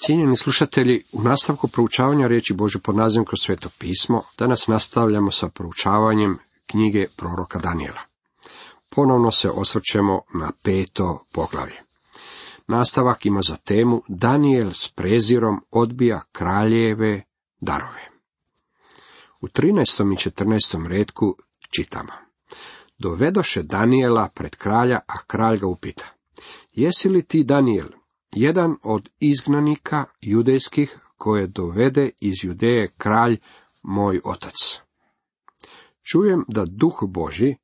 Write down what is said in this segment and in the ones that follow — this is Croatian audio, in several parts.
Cijenjeni slušatelji, u nastavku proučavanja riječi Božje pod nazivom kroz Sveto pismo, danas nastavljamo sa proučavanjem knjige proroka Danijela. Ponovno se osvrćemo na 5. poglavlje. Nastavak ima za temu Danijel s prezirom odbija kraljeve darove. U 13. i 14. retku čitamo: Dovedoše Danijela pred kralja, a kralj ga upita: Jesi li ti, Danijel, jedan od izgnanika judejskih koje dovede iz Judeje kralj moj otac? Čujem da Duh Božji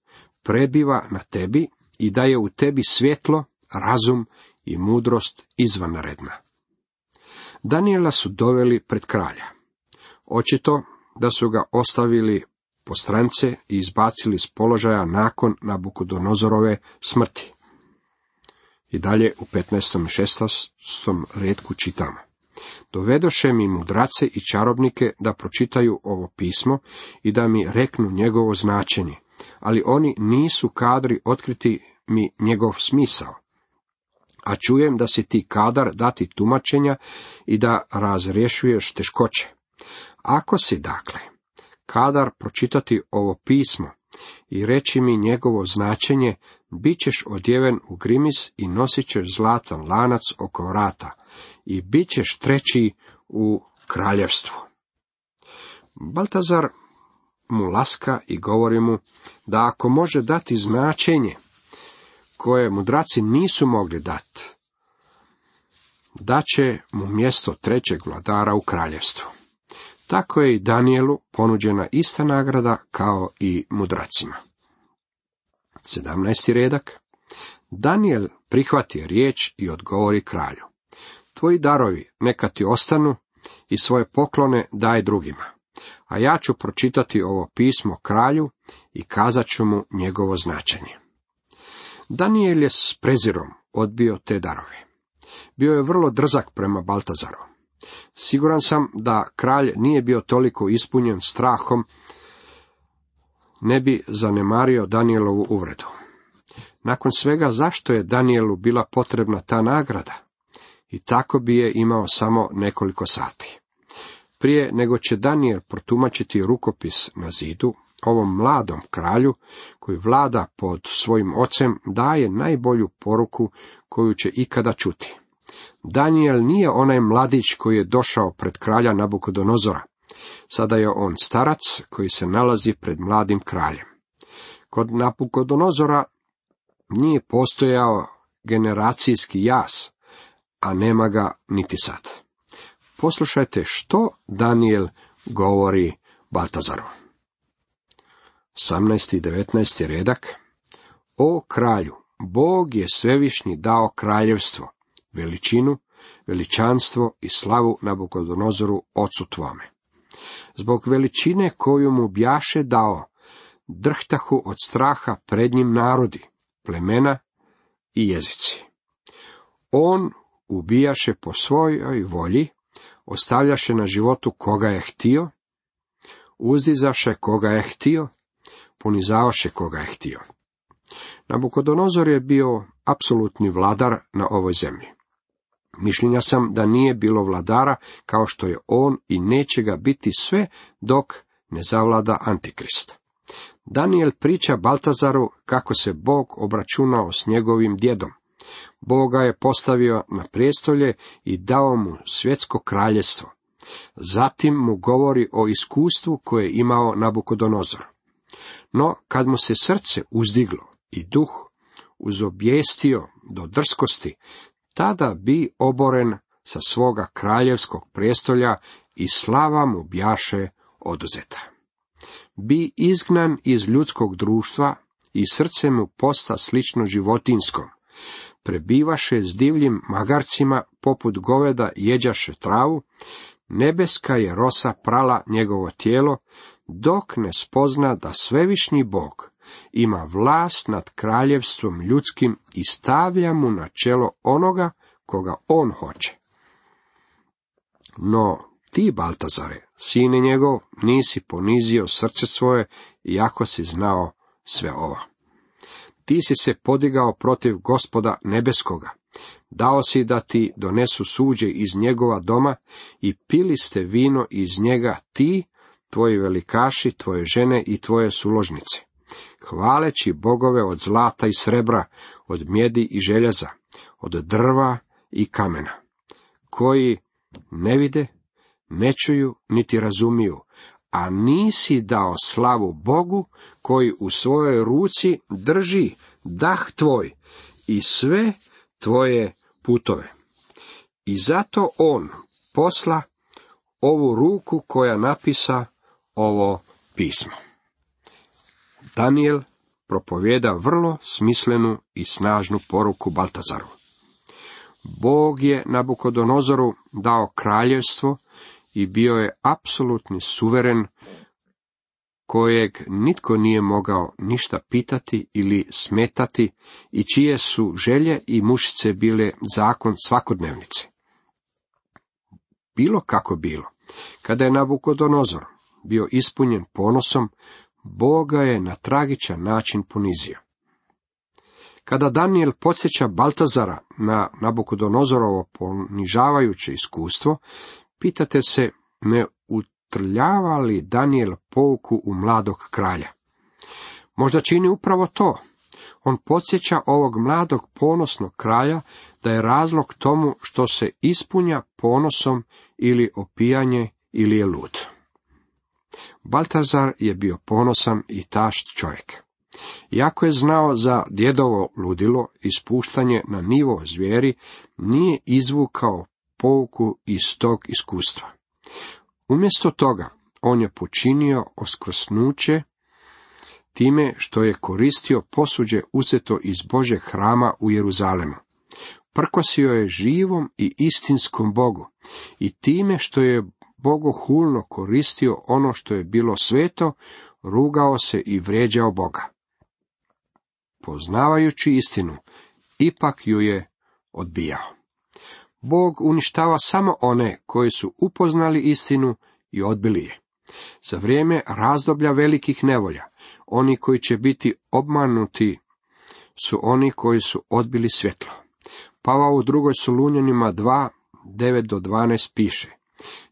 prebiva na tebi i da je u tebi svjetlo, razum i mudrost izvanredna. Danijela su doveli pred kralja. Očito da su ga ostavili po strance i izbacili s položaja nakon Nabukodonozorove smrti. I dalje u 15. i 16. retku čitamo: Dovedoše mi mudrace i čarobnike da pročitaju ovo pismo i da mi reknu njegovo značenje, ali oni nisu kadri otkriti mi njegov smisao. A čujem da si ti kadar dati tumačenja i da razrješuješ teškoće. Ako si, dakle, kadar pročitati ovo pismo i reći mi njegovo značenje, bit ćeš odjeven u grimis i nosit ćeš zlatan lanac oko vrata i bit ćeš treći u kraljevstvu. Baltazar mu laska i govori mu da ako može dati značenje koje mudraci nisu mogli dati, da će mu mjesto trećeg vladara u kraljevstvu. Tako je i Danijelu ponuđena ista nagrada kao i mudracima. 17. redak. Danijel prihvati riječ i odgovori kralju: Tvoji darovi neka ti ostanu i svoje poklone daj drugima, a ja ću pročitati ovo pismo kralju i kazat ću mu njegovo značenje. Danijel je s prezirom odbio te darove. Bio je vrlo drzak prema Baltazaru. Siguran sam da kralj nije bio toliko ispunjen strahom, ne bi zanemario Danijelovu uvredu. Nakon svega, zašto je Danijelu bila potrebna ta nagrada? I tako bi je imao samo nekoliko sati. Prije nego će Danijel protumačiti rukopis na zidu, ovom mladom kralju, koji vlada pod svojim ocem, daje najbolju poruku koju će ikada čuti. Danijel nije onaj mladić koji je došao pred kralja Nabukodonozora. Sada je on starac koji se nalazi pred mladim kraljem. Kod Nabukodonozora nije postojao generacijski jaz, a nema ga niti sad. Poslušajte što Danijel govori Baltazaru. 18. i 19. redak. O kralju, Bog je svevišnji dao kraljevstvo, veličinu, veličanstvo i slavu Nabukodonozoru ocu tvome. Zbog veličine koju mu bjaše dao, drhtahu od straha pred njim narodi, plemena i jezici. On ubijaše po svojoj volji, ostavljaše na životu koga je htio, uzdizaše koga je htio, ponizavaše koga je htio. Nabukodonozor je bio apsolutni vladar na ovoj zemlji. Mišljenja sam da nije bilo vladara kao što je on i neće ga biti sve dok ne zavlada Antikrist. Danijel priča Baltazaru kako se Bog obračunao s njegovim djedom. Bog ga je postavio na prijestolje i dao mu svjetsko kraljevstvo. Zatim mu govori o iskustvu koje je imao Nabukodonozor. No, kad mu se srce uzdiglo i duh uzobjestio do drskosti, tada bi oboren sa svoga kraljevskog prijestolja i slava mu bjaše oduzeta. Bi izgnan iz ljudskog društva i srce mu posta slično životinskom. Prebivaše s divljim magarcima, poput goveda jeđaše travu, nebeska je rosa prala njegovo tijelo, dok ne spozna da svevišnji Bog ima vlast nad kraljevstvom ljudskim i stavlja mu na čelo onoga koga on hoće. No, ti, Baltazare, sine njegov, nisi ponizio srce svoje, iako si znao sve ovo. Ti si se podigao protiv Gospoda nebeskoga, Dao si da ti donesu suđe iz njegova doma i pili ste vino iz njega ti, tvoji velikaši, tvoje žene i tvoje suložnice, hvaleći bogove od zlata i srebra, od mjedi i željeza, od drva i kamena, koji ne vide, ne čuju, niti razumiju, a nisi dao slavu Bogu, koji u svojoj ruci drži dah tvoj i sve tvoje putove. I zato on posla ovu ruku koja napisa ovo pismo. Danijel propovjeda vrlo smislenu i snažnu poruku Baltazaru. Bog je Nabukodonozoru dao kraljevstvo i bio je apsolutni suveren kojeg nitko nije mogao ništa pitati ili smetati i čije su želje i mušice bile zakon svakodnevnice. Bilo kako bilo, kada je Nabukodonozor bio ispunjen ponosom, Bog ga je na tragičan način ponizio. Kada Danijel podsjeća Baltazara na Nabukodonozorovo ponižavajuće iskustvo, pitate se ne utrljava li Danijel pouku u mladog kralja. Možda čini upravo to. On podsjeća ovog mladog ponosnog kralja da je razlog tomu što se ispunja ponosom ili opijanje ili je lud. Baltazar je bio ponosan i tašt čovjek. Iako je znao za djedovo ludilo i spuštanje na nivo zvijeri, nije izvukao pouku iz tog iskustva. Umjesto toga, on je počinio oskvrsnuće time što je koristio posuđe uzeto iz Božjeg hrama u Jeruzalemu. Prkosio je živom i istinskom Bogu i time što je bogohulno koristio ono što je bilo sveto, rugao se i vrijeđao Boga. Poznavajući istinu, ipak ju je odbijao. Bog uništava samo one koji su upoznali istinu i odbili je. Za vrijeme razdoblja velikih nevolja, oni koji će biti obmanuti su oni koji su odbili svjetlo. Pavao u 2. Solunjanima 2, 9-12 piše: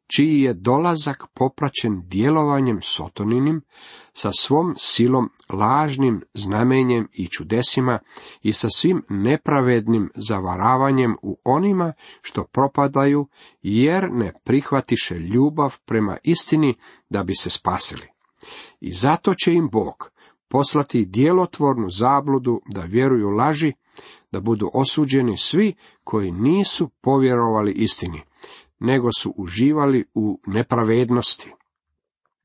čiji je dolazak popraćen djelovanjem sotoninim, sa svom silom, lažnim znamenjem i čudesima i sa svim nepravednim zavaravanjem u onima što propadaju, jer ne prihvatiše ljubav prema istini da bi se spasili. I zato će im Bog poslati djelotvornu zabludu da vjeruju laži, da budu osuđeni svi koji nisu povjerovali istini, nego su uživali u nepravednosti.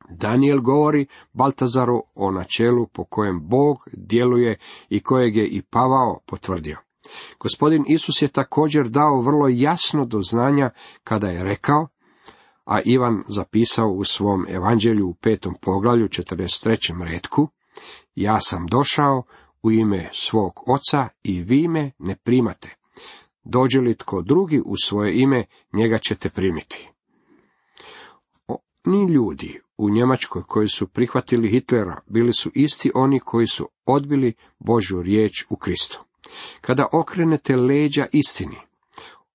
Danijel govori Baltazaru o načelu po kojem Bog djeluje i kojeg je i Pavao potvrdio. Gospodin Isus je također dao vrlo jasno do znanja kada je rekao, a Ivan zapisao u svom evanđelju u 5. poglavlju 43. retku: ja sam došao u ime svog oca i vi me ne primate. Dođe li tko drugi u svoje ime, njega ćete primiti. Oni ljudi u Njemačkoj koji su prihvatili Hitlera bili su isti oni koji su odbili Božju riječ u Kristu. Kada okrenete leđa istini,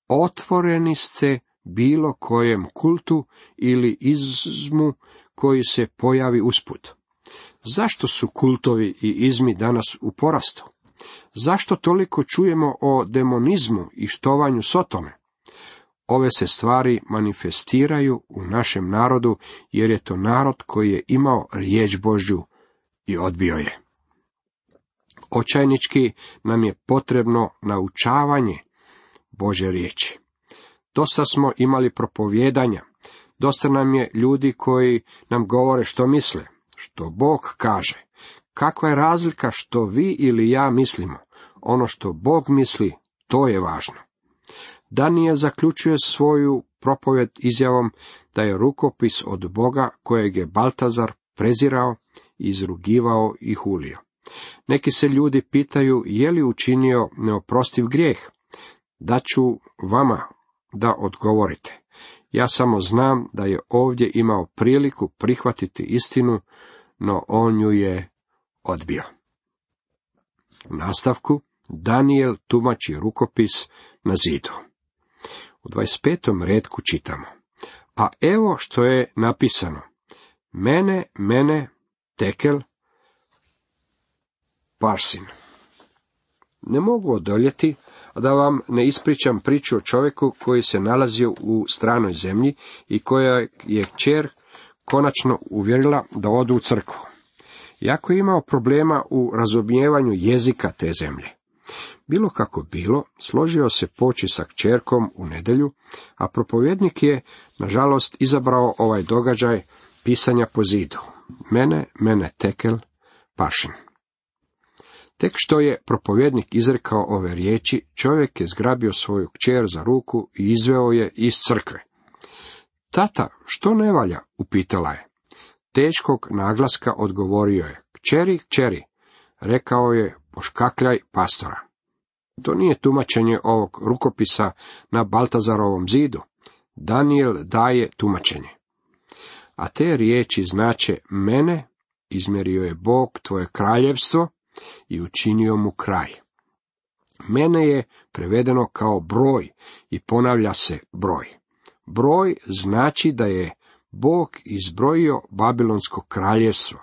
otvoreni ste bilo kojem kultu ili izmu koji se pojavi usput. Zašto su kultovi i izmi danas u porastu? Zašto toliko čujemo o demonizmu i štovanju Sotone? Ove se stvari manifestiraju u našem narodu, jer je to narod koji je imao riječ Božju i odbio je. Očajnički nam je potrebno naučavanje Božje riječi. Dosta smo imali propovijedanja, dosta nam je ljudi koji nam govore što misle, što Bog kaže. Kakva je razlika što vi ili ja mislimo? Ono što Bog misli, to je važno. Danijel zaključuje svoju propovjed izjavom da je rukopis od Boga kojeg je Baltazar prezirao, izrugivao i hulio. Neki se ljudi pitaju je li učinio neoprostiv grijeh. Daću vama da odgovorite. Ja samo znam da je ovdje imao priliku prihvatiti istinu, no on ju je odbio. U nastavku Danijel tumači rukopis na zidu. U 25. retku čitamo: a evo što je napisano: mene, Tekel, Parsin. Ne mogu odoljeti, a da vam ne ispričam priču o čovjeku koji se nalazio u stranoj zemlji i koja je kćer konačno uvjerila da odu u crkvu. Iako je imao problema u razumijevanju jezika te zemlje. Bilo kako bilo, složio se poći sa kćerkom u nedjelju, a propovjednik je, nažalost, izabrao ovaj događaj pisanja po zidu. Mene, Tekel, Parsin. Tek što je propovjednik izrekao ove riječi, čovjek je zgrabio svoju kćer za ruku i izveo je iz crkve. Tata, što ne valja? Upitala je. Teškog naglaska odgovorio je: kćeri, rekao je poškakljaj pastora. To nije tumačenje ovog rukopisa na Baltazarovom zidu. Danijel daje tumačenje. A te riječi znače: mene izmjerio je Bog tvoje kraljevstvo i učinio mu kraj. Mene je prevedeno kao broj i ponavlja se broj. Broj znači da je Bog izbrojio Babilonsko kraljevstvo.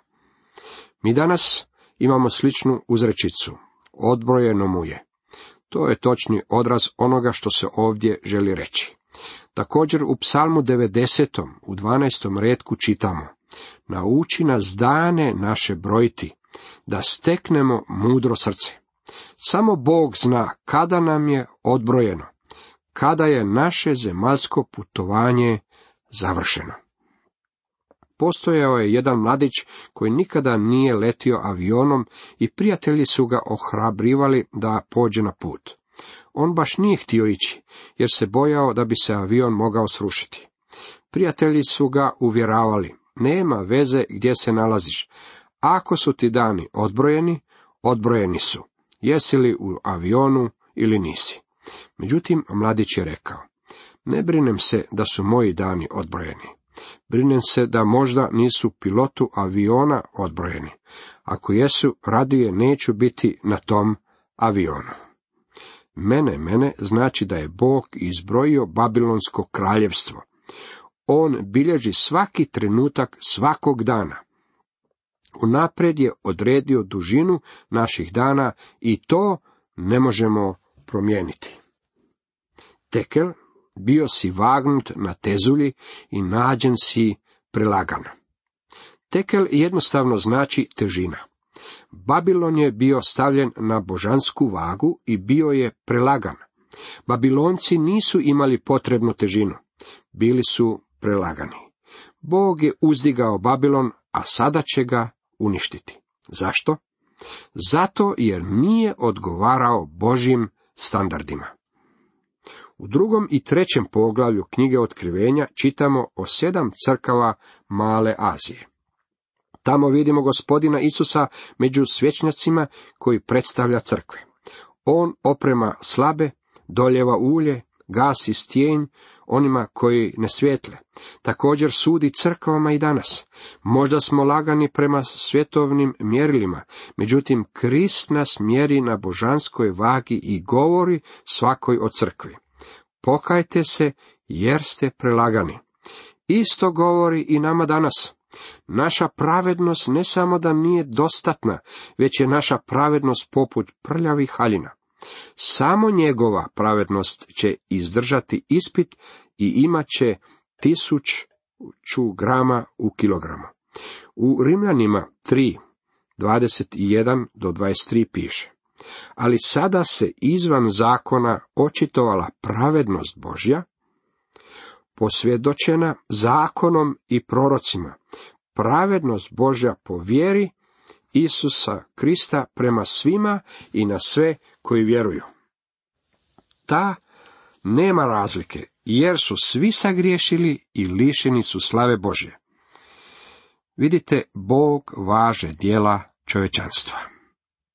Mi danas imamo sličnu uzrečicu: odbrojeno mu je. To je točni odraz onoga što se ovdje želi reći. Također u Psalmu 90. u 12. retku čitamo: nauči nas dane naše brojiti, da steknemo mudro srce. Samo Bog zna kada nam je odbrojeno, kada je naše zemaljsko putovanje završeno. Postojao je jedan mladić koji nikada nije letio avionom i prijatelji su ga ohrabrivali da pođe na put. On baš nije htio ići, jer se bojao da bi se avion mogao srušiti. Prijatelji su ga uvjeravali: nema veze gdje se nalaziš. Ako su ti dani odbrojeni, odbrojeni su, jesi li u avionu ili nisi. Međutim, mladić je rekao: ne brinem se da su moji dani odbrojeni. Brinem se da možda nisu pilotu aviona odbrojeni. Ako jesu, radije neću biti na tom avionu. Mene znači da je Bog izbrojio Babilonsko kraljevstvo. On bilježi svaki trenutak svakog dana. Unaprijed je odredio dužinu naših dana i to ne možemo promijeniti. Tekel, bio si vagnut na tezulji i nađen si prelagan. Tekel jednostavno znači težina. Babilon je bio stavljen na božansku vagu i bio je prelagan. Babilonci nisu imali potrebnu težinu, bili su prelagani. Bog je uzdigao Babilon, a sada će ga uništiti. Zašto? Zato jer nije odgovarao Božjim standardima. U 2. i 3. poglavlju knjige Otkrivenja čitamo o 7 crkava Male Azije. Tamo vidimo Gospodina Isusa među svećnjacima koji predstavlja crkve. On oprema slabe, doljeva ulje, gasi stjenj onima koji ne svijetle. Također sudi crkvama i danas. Možda smo lagani prema svjetovnim mjerilima, međutim Krist nas mjeri na božanskoj vagi i govori svakoj o crkvi: pokajte se jer ste prelagani. Isto govori i nama danas. Naša pravednost ne samo da nije dostatna, već je naša pravednost poput prljavih haljina. Samo njegova pravednost će izdržati ispit i imat će 1000 grama u kilogramu. U Rimljanima 3, 21 do 23 piše: ali sada se izvan zakona očitovala pravednost Božja, posvjedočena zakonom i prorocima, pravednost Božja po vjeri Isusa Krista prema svima i na sve koji vjeruju. Ta nema razlike, jer su svi sagriješili i lišeni su slave Božje. Vidite, Bog važe djela čovječanstva.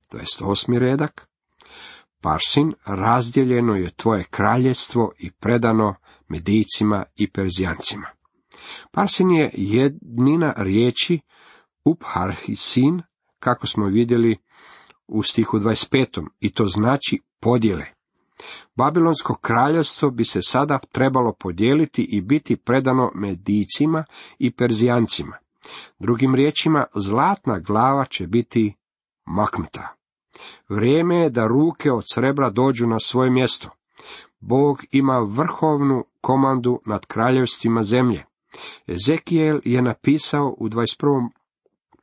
To je 8. redak. Parsin, razdjeljeno je tvoje kraljevstvo i predano Medijcima i Perzijancima. Parsin je jednina riječi upharhisin, kako smo vidjeli u stihu 25. i to znači podjele. Babilonsko kraljevstvo bi se sada trebalo podijeliti i biti predano Medijcima i Perzijancima. Drugim riječima, zlatna glava će biti maknuta. Vrijeme je da ruke od srebra dođu na svoje mjesto. Bog ima vrhovnu komandu nad kraljevstvima zemlje. Ezekijel je napisao u 21.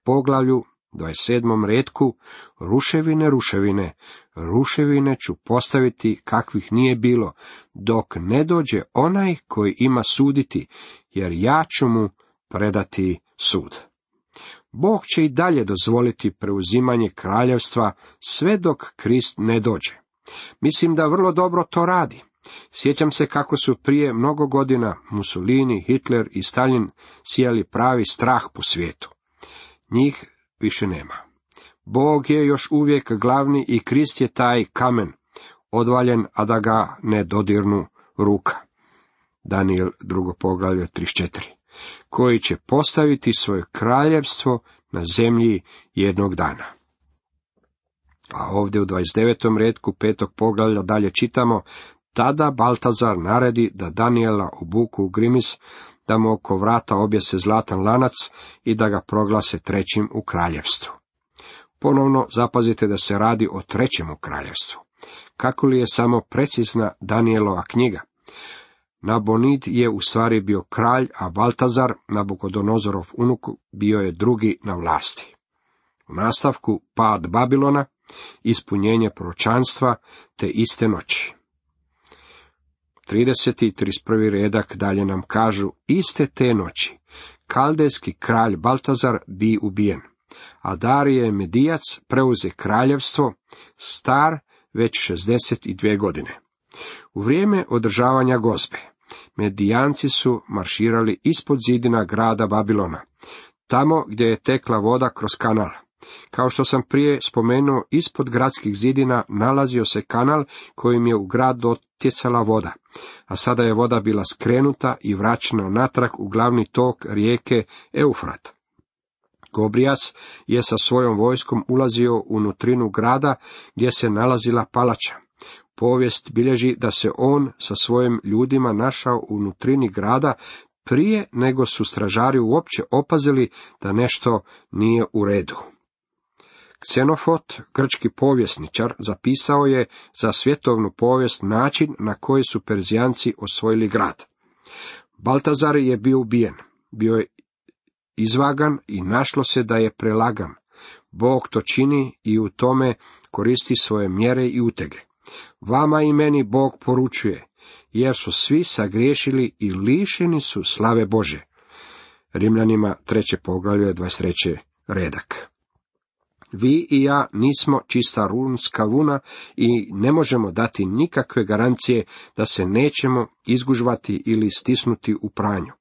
poglavlju, 27. retku, ruševine, ruševine, ruševine ću postaviti kakvih nije bilo, dok ne dođe onaj koji ima suditi, jer ja ću mu predati sud. Bog će i dalje dozvoliti preuzimanje kraljevstva sve dok Krist ne dođe. Mislim da vrlo dobro to radi. Sjećam se kako su prije mnogo godina Mussolini, Hitler i Stalin sijali pravi strah po svijetu. Njih više nema. Bog je još uvijek glavni i Krist je taj kamen, odvaljen, a da ga ne dodirnu ruka. Daniel 2. poglavlje 34. Koji će postaviti svoje kraljevstvo na zemlji jednog dana. A ovdje u 29. retku 5. poglavlja dalje čitamo, tada Baltazar naredi da Daniela obuku u grimis, da mu oko vrata objese zlatan lanac i da ga proglase trećim u kraljevstvu. Ponovno zapazite da se radi o trećem u kraljevstvu. Kako li je samo precizna Danielova knjiga? Nabonid je u stvari bio kralj, a Baltazar, Nabukodonozorov unuk, bio je drugi na vlasti. U nastavku pad Babilona, ispunjenje proročanstva te iste noći. 30. i 31. redak dalje nam kažu, iste te noći kaldejski kralj Baltazar bi ubijen, a Darije Medijac preuze kraljevstvo, star već 62 godine. U vrijeme održavanja gozbe, Medijanci su marširali ispod zidina grada Babilona, tamo gdje je tekla voda kroz kanal. Kao što sam prije spomenuo, ispod gradskih zidina nalazio se kanal kojim je u grad dotjecala voda, a sada je voda bila skrenuta i vraćena natrag u glavni tok rijeke Eufrat. Gobrijas je sa svojom vojskom ulazio u nutrinu grada gdje se nalazila palača. Povijest bilježi da se on sa svojim ljudima našao u nutrini grada prije nego su stražari uopće opazili da nešto nije u redu. Ksenofot, grčki povjesničar, zapisao je za svjetovnu povijest način na koji su Perzijanci osvojili grad. Baltazar je bio ubijen, bio je izvagan i našlo se da je prelagan. Bog to čini i u tome koristi svoje mjere i utege. Vama i meni Bog poručuje, jer su svi sagriješili i lišeni su slave Bože. Rimljanima 3. poglavlje 23. redak. Vi i ja nismo čista runska vuna i ne možemo dati nikakve garancije da se nećemo izgužvati ili stisnuti u pranju.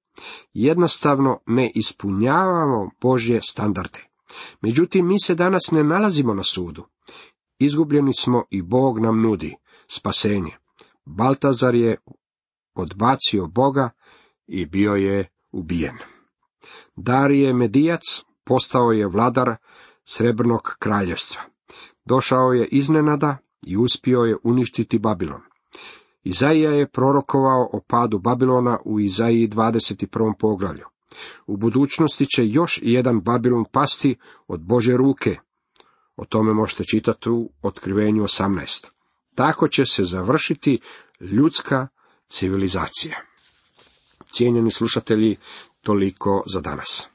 Jednostavno ne ispunjavamo Božje standarde. Međutim, mi se danas ne nalazimo na sudu. Izgubljeni smo i Bog nam nudi spasenje. Baltazar je odbacio Boga i bio je ubijen. Darije Medijac postao je vladar Srebrnog kraljevstva. Došao je iznenada i uspio je uništiti Babilon. Izaija je prorokovao o padu Babilona u Izaiji 21. poglavlju. U budućnosti će još jedan Babilon pasti od Božje ruke. O tome možete čitati u Otkrivenju 18. Tako će se završiti ljudska civilizacija. Cijenjeni slušatelji, toliko za danas.